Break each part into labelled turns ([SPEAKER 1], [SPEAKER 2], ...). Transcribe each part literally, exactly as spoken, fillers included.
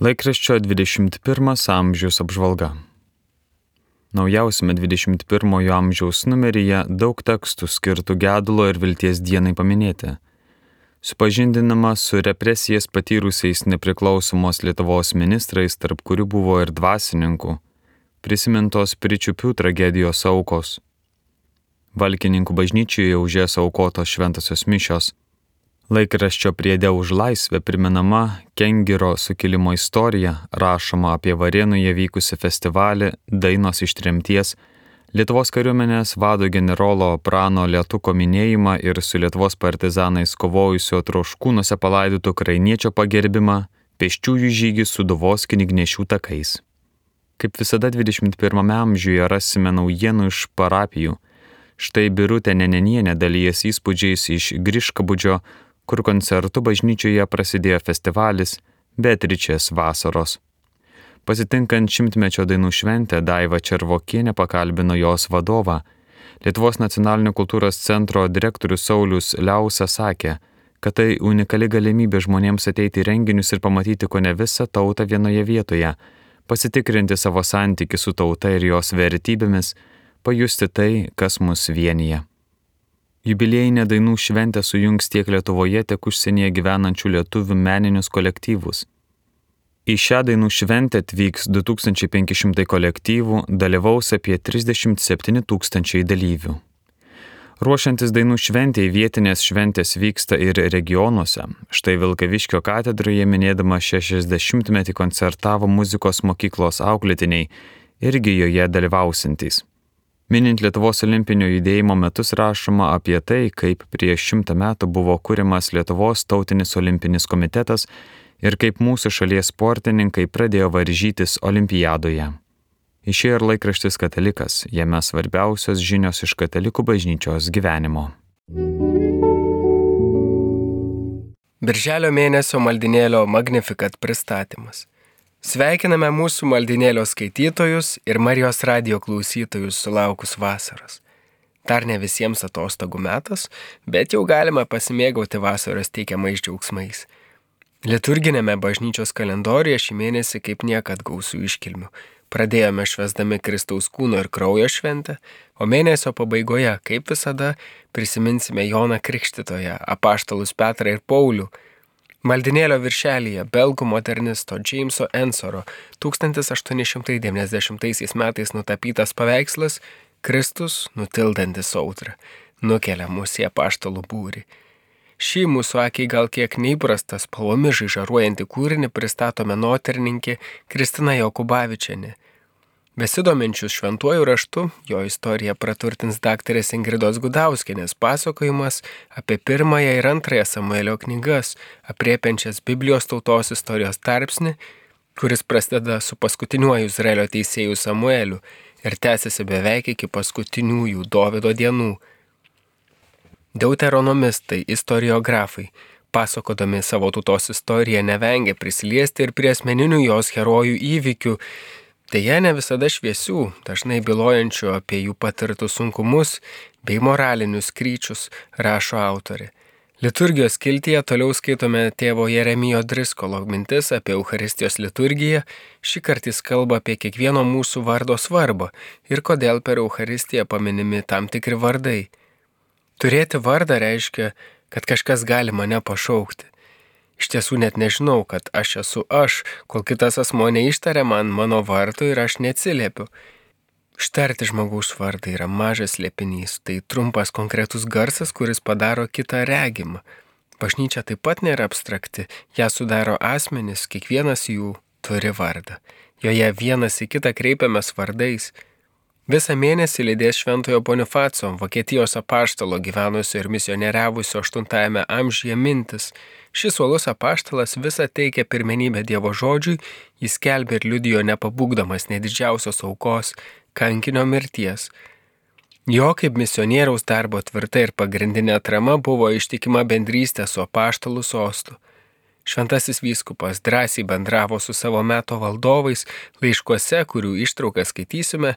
[SPEAKER 1] Laikraščio dvidešimt pirmas amžiaus apžvalga. Naujausiame dvidešimt pirmojo amžiaus numeryje daug tekstų skirtų gedulo ir vilties dienai paminėti. Supažindinama su represijas patyrusiais nepriklausomos Lietuvos ministrais, tarp kurių buvo ir dvasininkų, prisimintos Pirčiupių tragedijos aukos. Valkininkų bažnyčioje už jas aukotos šventosios mišios. Laikraščio priede už laisvę primenama Kengiro sukilimo istorija, rašoma apie Varėnoje vykusi festivalį Dainos iš tremties, Lietuvos kariuomenės vado generolo Prano Lietuko minėjimą ir su Lietuvos partizanais kovojusio Troškūnuose palaidotų krainiečio pagerbimą, pėsčiųjų žygį Sūduvos knygnešių takais. Kaip visada dvidešimt pirmame amžiuje rasime naujienų iš parapijų. Štai Birutė Nenenienė dalyjas įspūdžiais iš Griškabūdžio, kur koncertų bažnyčioje prasidėjo festivalis Beatričės vasaros. Pasitinkant šimtmečio dainų šventę, Daiva Červokienė pakalbino jos vadovą. Lietuvos nacionalinio kultūros centro direktorius Saulius Liausa sakė, kad tai unikali galimybė žmonėms ateiti į renginius ir pamatyti kone visą tautą vienoje vietoje, pasitikrinti savo santykį su tauta ir jos vertybėmis, pajusti tai, kas mus vienyje. Jubiliejinė dainų šventė sujungs tiek Lietuvoje, tiek užsienyje gyvenančių lietuvių meninius kolektyvus. Į šią dainų šventę atvyks du tūkstančiai penki šimtai kolektyvų, dalyvaus apie trisdešimt septyni tūkstančiai dalyvių. Ruošiantis dainų šventėj, vietinės šventės vyksta ir regionuose. Štai Vilkaviškio katedroje minėdama šešiasdešimtmetį koncertavo muzikos mokyklos auklėtiniai, irgi joje dalyvausintys. Minint Lietuvos olimpinio judėjimo metus rašoma apie tai, kaip prieš šimtą metų buvo kuriamas Lietuvos tautinis olimpinis komitetas ir kaip mūsų šalies sportininkai pradėjo varžytis olimpiadoje. Išėjo ir laikraštis Katalikas, jame svarbiausios žinios iš katalikų bažnyčios gyvenimo.
[SPEAKER 2] Birželio mėnesio maldinėlio Magnificat pristatymas. Sveikiname mūsų maldinėlio skaitytojus ir Marijos radijo klausytojus sulaukus vasaros. Dar ne visiems atostogų metas, bet jau galime pasimėgauti vasaros teikiamais džiaugsmais. Liturginėme bažnyčios kalendoriuje šį mėnesį kaip niekad gausų iškilmių. Pradėjome švęsdami Kristaus kūno ir kraujo šventę, o mėnesio pabaigoje, kaip visada, prisiminsime Joną Krikštytoją, apaštalus Petrą ir Paulių. Maldinėlio viršelyje belgų modernisto Jameso Ensoro tūkstantis aštuoni šimtai devyniasdešimtaisiais metais nutapytas paveikslas Kristus, nutildantis audrą, nukelia mus į apaštalų būrį. Šį mūsų akiai gal kiek neįprastą spalvomis žaižaruojantį kūrinį pristato menotyrininkė Kristina Jokubavičienė. Besidominčius šventuoju raštu, jo istoriją praturtins daktarės Ingridos Gudauskienės pasakojimas apie pirmąją ir antrąją Samuelio knygas, aprėpiančias Biblijos tautos istorijos tarpsnį, kuris prasideda su paskutiniuoju Izraelio teisėju Samueliu ir tęsiasi beveik iki paskutiniųjų Dovydo dienų. Deuteronomistai, istoriografai, pasakodami savo tautos istoriją, nevengia prisiliesti ir prie asmeninių jos herojų įvykių, deja ne visada šviesių, dažnai bylojančių apie jų patirtus sunkumus bei moralinius kryčius, rašo autorė. Liturgijos skiltyje toliau skaitome tėvo Jeremijo Driskolo mintis apie Eucharistijos liturgiją. Šį kartą jis kalba apie kiekvieno mūsų vardo svarbą ir kodėl per Eucharistiją paminimi tam tikri vardai. Turėti vardą reiškia, kad kažkas gali mane pašaukti. Iš tiesų net nežinau, kad aš esu aš, kol kitas asmuo neištaria man mano vardo ir aš neatsiliepiu. Ištarti žmogaus vardą yra mažas slėpinys, tai trumpas konkretus garsas, kuris padaro kitą regimą. Bažnyčia taip pat nėra abstrakti, ją sudaro asmenys, kiekvienas jų turi vardą. Joje vienas į kitą kreipiamės vardais. Visą mėnesį lydės šventojo Bonifaco, Vokietijos apaštalo gyvenusio ir misionieriavusio aštuntajame amžiuje mintis. Šis uolus apaštalas visą teikia pirmenybę Dievo žodžiui, jis skelbė ir liudijo nepabūgdamas nedidžiausios aukos, kankinio mirties. Jo kaip misionieriaus darbo tvirta ir pagrindinė atrama buvo ištikima bendrystė su apaštalų sostu. Šventasis vyskupas drąsiai bendravo su savo meto valdovais laiškuose, kurių ištrauką skaitysime,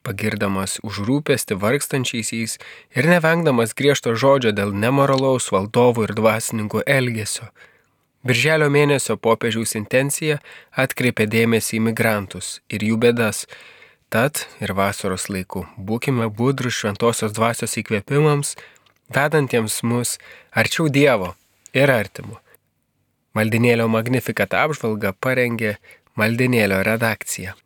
[SPEAKER 2] pagirdamas už rūpestį vargstančiaisiais ir nevengdamas griežto žodžio dėl nemoralaus valdovų ir dvasininkų elgesio. Birželio mėnesio popiežiaus intencija atkreipia dėmesį į migrantus ir jų bėdas. Tad ir vasaros laiku būkime budrus šventosios dvasios įkvėpimams, vedantiems mus arčiau Dievo ir artimo. Maldinėlio Magnificat apžvalgą parengė Maldinėlio redakcija.